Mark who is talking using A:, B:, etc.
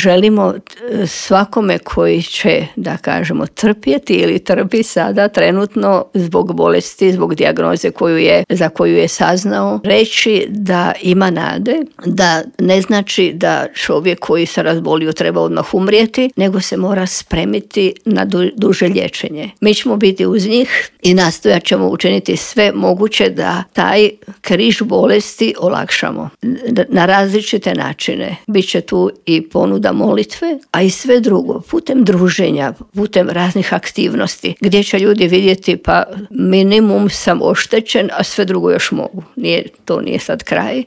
A: želimo svakome koji će, da kažemo, trpjeti ili trpi sada trenutno zbog bolesti, zbog dijagnoze za koju je saznao, reći da ima nade, da ne znači da čovjek koji se razbolio treba odmah umrijeti, nego se mora spremiti na duže liječenje. Mi ćemo biti uz njih i nastojat ćemo učiniti sve moguće da taj križ bolesti olakšamo na različite načine. Biće tu i ponuda molitve, a i sve drugo, putem druženja, putem raznih aktivnosti, gdje će ljudi vidjeti pa minimum sam oštećen, a sve drugo još mogu. To nije sad kraj.